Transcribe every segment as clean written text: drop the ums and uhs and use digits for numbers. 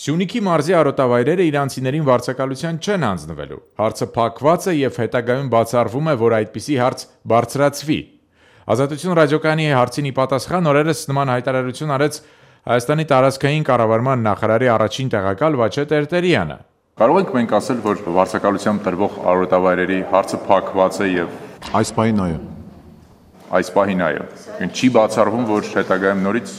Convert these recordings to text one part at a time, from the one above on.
Սյունիքի մարզի արոտավայրերը իրանցիներին վարձակալության չեն հանձնվելու։ Հարցը փակված է եւ հետագայում բացառվում է, որ այդպիսի հարց բարձրացվի։ Ազատություն ռադիոկայանի հարցին ի պատասխան օրերս նման հայտարարություն արեց Հայաստանի տարածքային կառավարման նախարարի առաջին տեղակալ Վաչե Տերտերյանը։ Կարող ենք մենք ասել, որ վարձակալությամբ տրվող արոտավայրերի հարցը փակված է եւ այս պահին այո։ Այս պահին այո։ Չի բացառվում, որ հետագայում նորից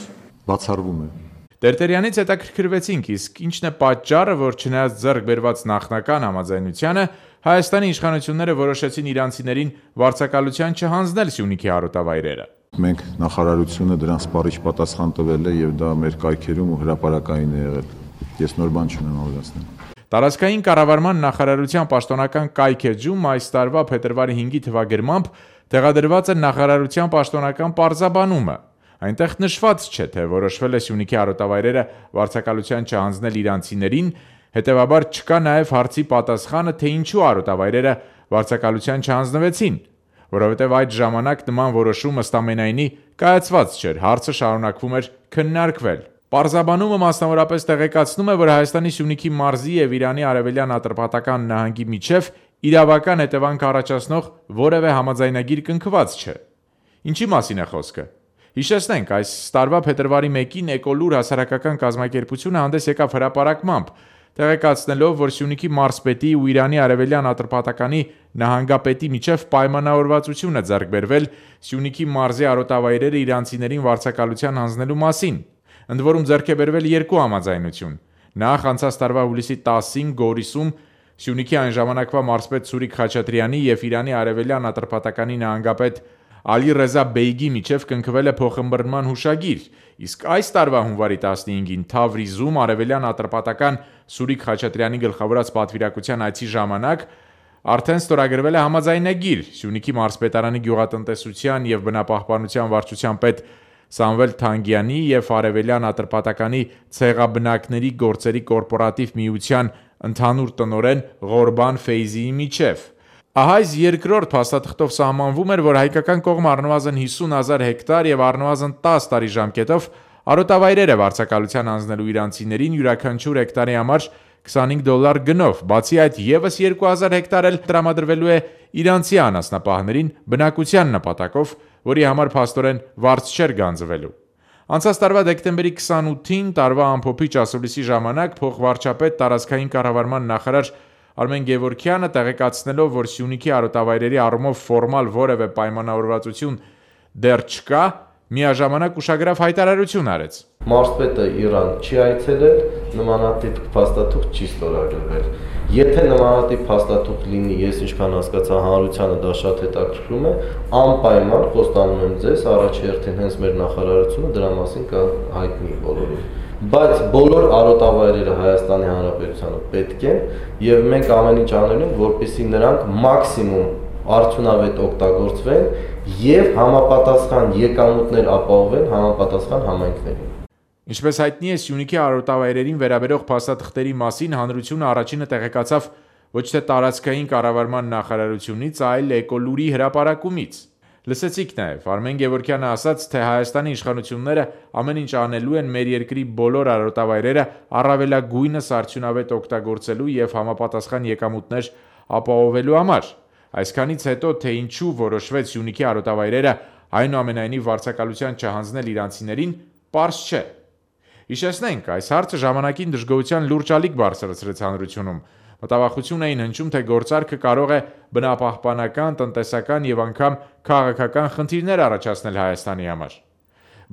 բացառվում է։ Տերտերյանից հետաքրքրվեցինք, իսկ ինչն է պատճառը, որ չնայած ձեռք բերված նախնական համաձայնությանը Հայաստանի իշխանությունները որոշեցին իրանցիներին վարձակալության չհանձնել Սյունիքի արոտավայրերը։ Մենք նախարարությունը դրան սպառիչ պատասխան տվել է եւ դա մեր կայքերում ու հրապարակային է եղել։ Ես նոր բան չունեմ ավելացնել։ Տարածքային կառավարման նախարարության պաշտոնական կայքեջում այս տարվա փետրվարի 5-ի թվագրմամբ տեղադրված է նախարարության պաշտոնական պարզաբանումը։ Այնտեղ նշված չէ, թե որոշվել է Սյունիքի արոտավայրերը վարձակալության չհանձնել իրանցիներին, հետևաբար չկա նաև հարցի պատասխանը, թե ինչու արոտավայրերը վարձակալության չհանձնվեցին, որովհետև այդ ժամանակ նման որոշում ըստ ամենայնի կայացված չէր, հարցը շարունակվում էր քննարկվել։ Պարզաբանումը մասնավորապես տեղեկացնում է, որ Հայաստանի Սյունիքի մարզի եւ Իրանի արևելյան Ատրպատական նահանգի միջև իրավական հետևանք առաջացնող որևէ համաձայնագիր կնքված չէ։ Ինչի մասին է խոսքը։ Հիշեցնենք, այս տարվա փետրվարի 1-ին Էկոլուր հասարակական կազմակերպությունը հանդես եկավ հրապարակմամբ, տեղեկացնելով, որ Սյունիքի մարզպետի ու Իրանի արևելյան Ատրպատականի նահանգապետի միջև պայմանավորվածություն է ձեռք բերվել Սյունիքի մարզի արոտավայրերը իրանցիներին վարձակալության հանձնելու մասին։ Ընդ որում ձեռք է բերվել երկու համաձայնություն։ Նախ անցած տարվա հուլիսի 10-ին Գորիսում Սյունիքի այն ժամանակվա մարզպետ Սուրիկ Խաչատրյանի եւ Իրանի արևելյան Ատրպատականի նահանգապետ Ալի Ռեզա Բեյգի միջև կնքվել է փոխըմբռնման հուշագիր, իսկ այս տարվա հունվարի 15-ին Թավրիզում արևելյան Ատրպատական Սուրիկ Խաչատրյանի գլխավորած պատվիրակության այցի ժամանակ արդեն ստորագրվել է համաձայնագիր Սյունիքի մարզպետարանի գյուղատնտեսության եւ բնապահպանության վարչության պետ Սամվել Թանգյանի եւ արևելյան Ատրպատականի ցեղաբնակների գործերի կորպորատիվ միության ընդհանուր տնօրեն Ղորբան Ֆեյզիի միջև։ Ահա այս երկրորդ փաստաթղթով սահմանվում էր, որ հայկական կողմը առնվազն 50,000 հեկտար եւ առնվազն 10 տարի ժամկետով արոտավայրեր է վարձակալության հանձնելու իրանցիներին յուրաքանչյուր հեկտարի համար $25 գնով, բացի այդ եւս 2000 հեկտար էլ տրամադրվելու է իրանցի անասնապահներին բնակության նպատակով, որի համար փաստորեն վարձ չէր գանձվելու։ Անցած տարվա դեկտեմբերի 28-ին տարվա ամփոփիչ ասուլիսի ժամանակ փոխվարչապետ տարածքային կառավարման նախարար Արմեն Գևորգյանը տեղեկացնելով, որ Սյունիքի արոտավայրերի առումով ֆորմալ որևէ պայմանավորվածություն դեռ չկա, միաժամանակ ուշագրավ հայտարարություն արեց։ Մարզպետը Իրան չի այցելել, նմանատիպ փաստաթուղթ չի ստորագրվել։ Եթե նմանատիպ փաստաթուղթ լինի, ես ինչքան հասկացա, հանրությանը դա շատ հետաքրքրում է, անպայման խոստանում եմ ձեզ, առաջերտին հենց մեր նախարարությունը դրա մասին կհայտնի բոլորին։ Բայց բոլոր արոտավայրերը Հայաստանի Հանրապետությանը պետք են եւ մենք ամեն ինչ անելու ենք, որպեսզի նրանք մաքսիմում արդյունավետ օգտագործվեն եւ համապատասխան եկամուտներ ապահովեն համապատասխան համայնքներին։ Ինչպես հայտնի է, Սյունիքի արոտավայրերին վերաբերող փաստաթղթերի մասին հանրությունը առաջինը տեղեկացավ ոչ թե տարածքային կառավարման նախարարությունից, այլ Էկոլուրի հրապարակումից։ Լսեցիք նաև Արմեն Գևորգյանը ասաց, թե Հայաստանի իշխանությունները ամեն ինչ անելու են մեր երկրի բոլոր արոտավայրերը առավելագույնս արդյունավետ օգտագործելու եւ համապատասխան եկամուտներ ապահովելու համար։ Այսքանից հետո, թե ինչու որոշվեց Սյունիքի արոտավայրերը այնուամենայնիվ վարձակալության չհանձնել իրանցիներին, պարզ չէ։ Հիշեցնենք, այս հարցը ժամանակին դժգոհության լուրջ ալիք բարձրացրեց հանրությունում։ Մտավախություն էին հնչում, թե գործարքը կարող է բնապահպանական, տնտեսական եւ անգամ քաղաքական խնդիրներ առաջացնել Հայաստանի համար։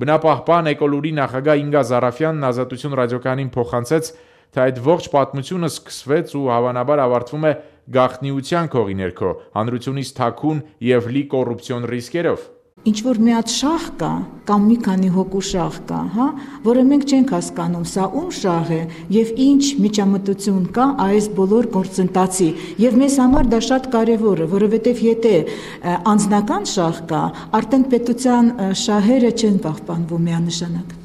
Բնապահպան Էկոլուրի նախագահ Ինգա Զարաֆյանն Ազատություն ռադիոկայանին փոխանցեց, թե այդ ողջ պատմությունը սկսվեց ու հավանաբար ավարտվում է գաղտնիության քողի ներքո, հանրությունից թաքուն եւ լի կոռուպցիոն ռիսկերով։ Ինչ որ մի հատ շահ կա, կամ մի քանի հոգու շահ կա, որը մենք չենք հասկանում, սա ում շահ է եւ ինչ միջամտություն կա այս բոլոր գործընթացի, եւ մեզ համար դա շատ կարեւոր է, որովհետեւ եթե անձնական շահ կա, արդեն պետության շահերը չեն պահպանվում միանշանակ։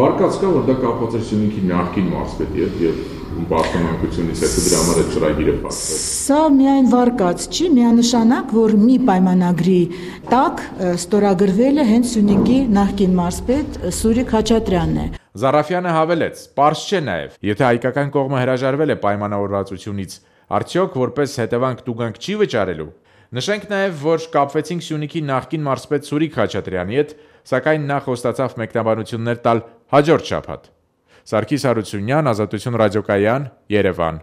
Վարկած կա, որ դա կապված է Սյունիքի նախկին մարզպետի հետ եւ պաշտոնանկությունից հետո դրա համար այդ ծրագիրը փակվել։ Սա միայն վարկած չի, միանշանակ, որ մի պայմանագրի տակ ստորագրվել է հենց Սյունիքի նախկին մարզպետ Սուրիկ Խաչատրյանն է։ Զարաֆյանը հավելեց. «Պարզ չէ նաև, եթե հայկական կողմը հրաժարվել է պայմանավորվածությունից, արդյոք որպես հետևանք տուգանք չի վճարելու»։ Նշենք նաև, որ կապվեցինք Սյունիքի նախկին մարզպետ Սուրիկ Խաչատրյանի հետ, սակայն նա խոստացավ մեկնաբանություններ տալ հաջորդ շաբաթ։ Սարգիս Հարությունյան, Ազատություն ռադիոկայան, Երևան։